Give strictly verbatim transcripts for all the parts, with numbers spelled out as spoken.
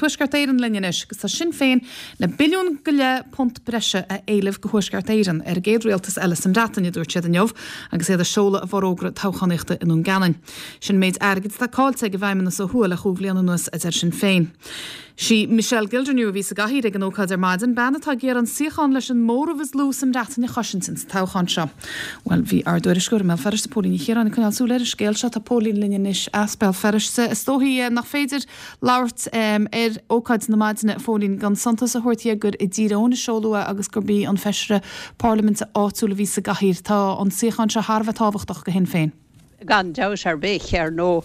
Tuaisceart Éireann linn anois, agus tá Sinn Féin le billiún go leith punt breise a éileamh go Thuaisceart Éireann ar an gcéad rialtas eile sa mBreatain a dúirt siad inniu agus iad ag seoladh a bhforógra toghchánaíochta i nDún Geanainn. Sin méid airgid atá caillte ag an bhFeidhmeannas ó thuaidh le chúig bhliain anuas a deir Sinn Féin. Sí Michelle Gildernew a bhí sa gcathaoir ag an ócáid ar maidin, bean atá ag iarraidh an suíochán leis an móramh is lú sa mBreatain a chosaint sa toghchán seo. Well bhí ár dtuairisceoir i mBéal Feirste Póilín Ní Chiaráin ag coinneáil súil ar an scéal seo tá Póilín linn anois as Béal Feirste. Is dóigh nach féidir labhairt um, ar ócáid na maidine Phóilín gan suntas a thabhairt gur i dTír Eoghain a seoladh é agus gurb í an feisire parlaiminte áitiúil a bhí sa gcathaoir tá an suíochán seo thar a bheith tábhachtach do Shinn Féin. Gan dabht ar bith ar ndóigh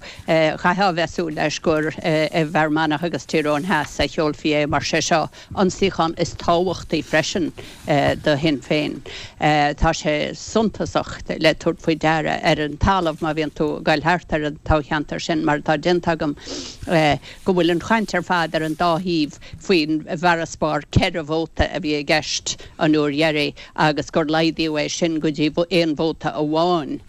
chaithfeá bheith ag súil leis gur i bhFear Manach agus Tír Eoghain Theas a sheolfaí é mar sé seo an suíochán is tábhachtaí freisin do Shinn Féin. Tá sé suntasach le tabhairt faoi deara ar an talamh má bhíonn tú ag dul thart ar an toghcheantar sin mar atá déanta agam go bhfuil an chaint ar fad ar an dá thaobh faoin bhfarasbarr ceithre vóta a bhí i gceist an uair dheiridh agus gur laghdaíodh é sin go dtí aon vóta amháin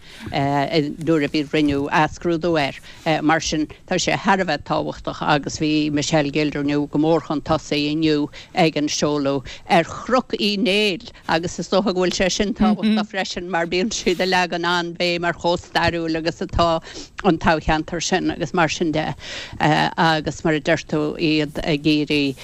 nuair a bhí rinneadh athscrúdú air. Mar sin tá sé thar a bheith tábhachtach agus bhí Michelle Gildernew go mór chun tosaigh inniu ag an seoladh ar Chnoc Uí Néill agus is dócha go bhfuil sé sin tábhachtach freisin mar bíonn siad ag leagan an-bhéim ar chomh stairiúil agus atá an toghcheantar sin agus mar sin de agus mar a deir tú iad ag iarraidh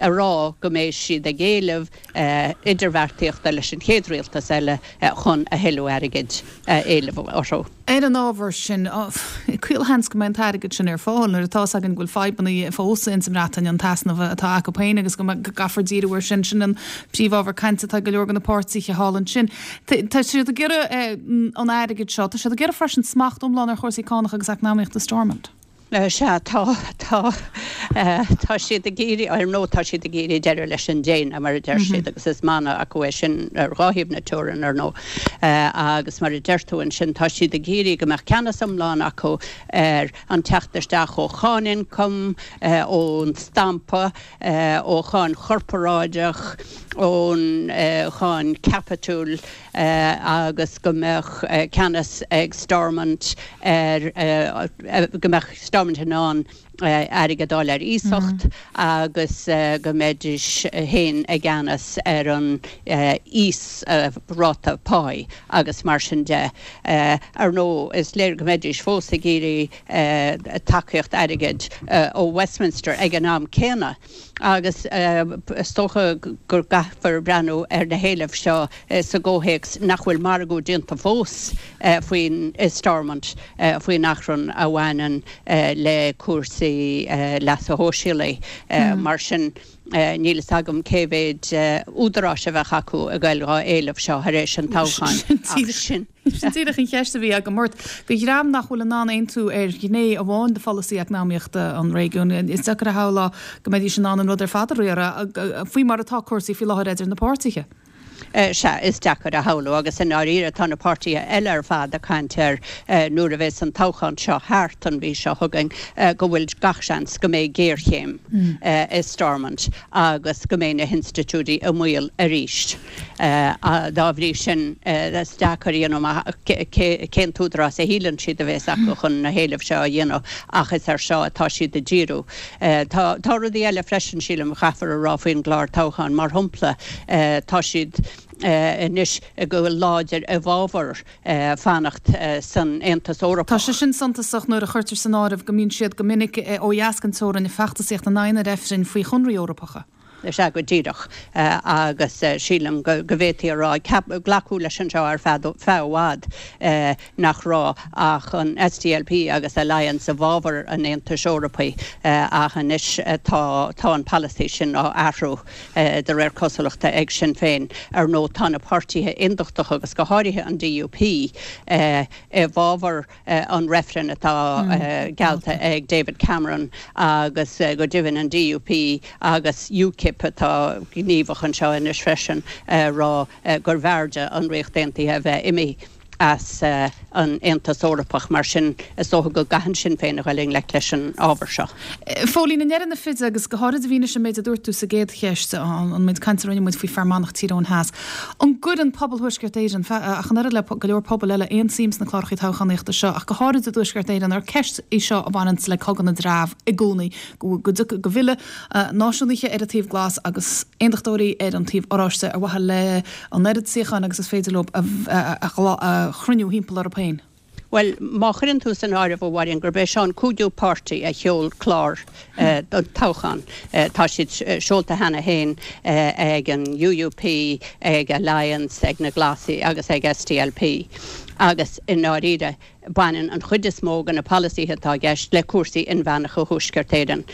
a rá go mbeidh siad ag éileamh idirbheartaíochta leis an chéad rialtas eile chun a thuilleadh airgid éileamh orthu. Ar an ábhar sin caolsheans go mbeidh an t-airgead sin ar fáil nuair atá againn go bhfuil fadhbanna fós in sa mBreatain an t-easnamh atá acu féin agus go gcaithfear díriú air sin sin an príomhábhar cainte atá go leor de na páirtithe thall ansin. Tá siad ag iarraidh an airgead seo, tá siad ag iarraidh freisin smacht iomlán ar chúrsaí cánach agus eacnamaíochta Stormont. Sea tá tá tá siad ag iarraidh ar ndóigh tá siad ag iarraidh deireadh leis an déine mar a deir siad agus is mana acu é sin ar dhá thaobh na teorann ar ndóigh agus mar a deir tú ansin tá siad ag iarraidh go mbeadh ceannas iomlán acu ar an teacht isteach ó cháin ioncaim ón stampa ó cháin chorparáideach ón cháin caipitil agus go mbeadh ceannas ag Stormont ar go mbeadh Stormont in ann airgead a fháil ar iasacht agus go mbeidís féin i gceannas ar an íosráta páí agus mar sin de. Ar ndóigh is léir go mbeidís fós ag iarraidh tacaíocht airgid ó Westminster ag an am céanna. agus is dócha gur caithfear breathnú ar na héilimh seo sa gcomhthéacs nach bhfuil margadh déanta fós faoin Stormont faoin achrann a bhaineann le cúrsaí leasa shóisialaigh mar sin níl a fhios agam cé mhéid údaráis a bheadh acu ag dul dhá éileamh seo thar éis an toghcháin sin. Sin díreach an cheist a bhí agam ort do dhream nach bhfuil in ann aontú ar ghné amháin de pholasaí eacnamaíochta an réigiúin. Is deacair a shamhlú go mbeidís in ann an rud ar fad a riaradh faoi mar atá cúrsaí faoi láthair idir na páirtithe. Sea is deacair a shamhlú agus i ndáiríre tá na páirtithe eile ar fad ag caint ar nuair a bheas an toghchán seo thart an mhí seo chugainn go bhfuil gach seans go mbeidh géarchéim i Stormont agus go mbeidh na hinstitiúidí i mbaol arís. Dá bhrí sin is deacair cén t-údarás a shíleann siad a bheas acu chun na héilimh seo a dhéanamh ach is ar seo atá siad ag díriú. Tá tá rudaí eile freisin sílim caithfear a rá faoin gclár toghcháin mar shampla tá siad anois go láidir i bhfabhar fanacht san Aontas Eorpach. Tá sé sin suntasach nuair a chuirtear san áireamh go mbíonn siad go minic ó dheas den teorainn ag feachtasaíocht in aghaidh na reifrinn faoi chonarthaí Eorpacha. Sea go díreach agus sílim go bhféadfaí a rá glacadh leis anseo ar feadh feadh i bhfad nach raibh ach an SDLP agus Alliance i bhfabhar an Aontais Eorpaigh ach anois tá tá an polasaí sin á athrú de réir cosúlachta ag Sinn Féin ar ndóigh tá na páirtithe aontachtacha agus go háirithe an DUP i bhfabhar an reifreann atá geallta ag David Cameron agus go deimhin an DUP agus UKIP atá gníomhach anseo anois freisin rá gur bhfearrde an Ríocht Aontaithe a bheith imithe as an Aontas Eorpach mar sin is dócha go gcaitheann Sinn Féin a dhul i ngleic leis an ábhar seo. Phóilín, i ndeireadh na feide agus go háirid i bhfianaise an méid a dúirt tú sa gcéad cheist, an méid cainte a rinne muid faoi Fear Manach Tír Eoghain Theas, an gcuireann pobal Thuaisceart Éireann, ach an oiread le go leor pobal eile, aon suim sna cláracha toghchánaíochta seo, ach go háirid i dTuaisceart Éireann, ar ceist í seo a bhaineanns le cogadh na dtreabh i gcónaí, go go bhfilleadh náisiúnaithe ar an taobh glas agus aontachtóirí ar an taobh oráiste ar mhaithe le an oiread suíochán agus is féidir leo a chruinniú thimpeall orthu féin. Bhuel, má chuireann tú san áireamh, a Mháirín, gurb é seo an cúigiú páirtí a sheol clár don toghchán, tá siad seolta cheana féin ag an UUP, ag Alliance, ag na Glasaigh agus ag SDLP agus i ndáiríre baineann an chuid is mó de na polasaithe atá i gceist le cúrsaí inmheánacha Thuaisceart Éireann.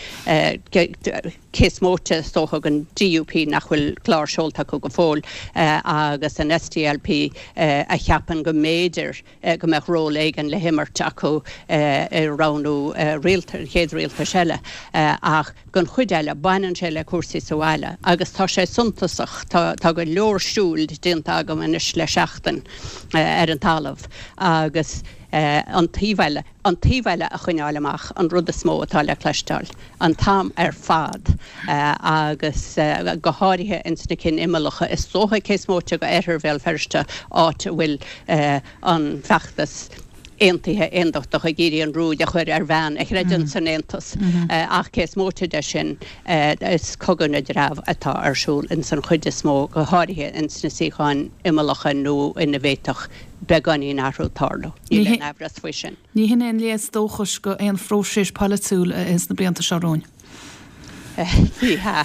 Cé is móite, is dócha, den DUP nach bhfuil clár seolta acu go fóill agus an SDLP a cheapann go mb'fhéidir go mbeadh ról éigin le himirt acu i roghnú an chéad rialtais eile. Ach don chuid eile, baineann sé le cúrsaí sa bhaile agus tá sé suntasach, tá go leor siúil déanta agam anois le seachtain ar an talamh agus an taobh eile, an taobh eile a choinneáil amach an rud is mó atá le cloisteáil an t-am ar fad agus go háirithe ins na cinn imeallacha. Is dócha cé is móite d'oirthear Bhéal Feirste, áit a bhfuil an feachtas aontaithe aondachtach ag iarraidh an ruaig a chur ar bhean a chreideann san aontas. Ach cé is móite de sin, is cogadh na dtreabh atá ar siúl ins an chuid is mó, go háirithe ins na suíocháin imeallacha nó ina bhféadfadh beagáinín athrú tarlú. Níl aon amhras faoi sin. Ní hin aon léas dóchais go aon phróiseas polaitiúil sna blianta seo romhainn. Ní hea.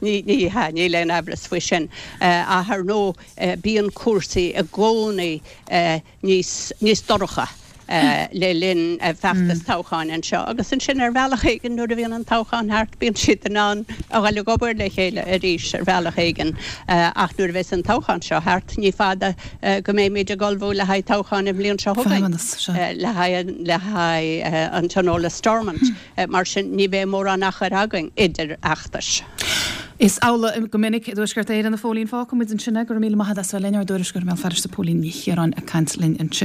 Ní hea, níl aon amhras faoi sin. Ach ar ndóigh, bíonn cúrsaí i gcónaí níos níos dorcha le linn feachtas toghcháin anseo agus ansin ar bhealach éigin nuair a bhíonn an toghchán thart bíonn siad in ann a dhul ag obair le chéile arís ar bhealach éigin ach nuair a bheas an toghchán seo thart ní fada go mbeimid ag ullmhú le haghaidh toghchán an bhliain seo chugainn le haghaidh le haghaidh an Tionól i Stormont mar sin ní bheidh mórán achair againn idir fheachtais. Is amhlaidh go minic i dTuaisceart Éireann a Phóilín. Fágfaidh muid ansin é. Go raibh míle maith agat as bheith linn, ár dtuairisceoir i mBéal Feirste Póilín Ní Chiaráin ag caint linn ansin.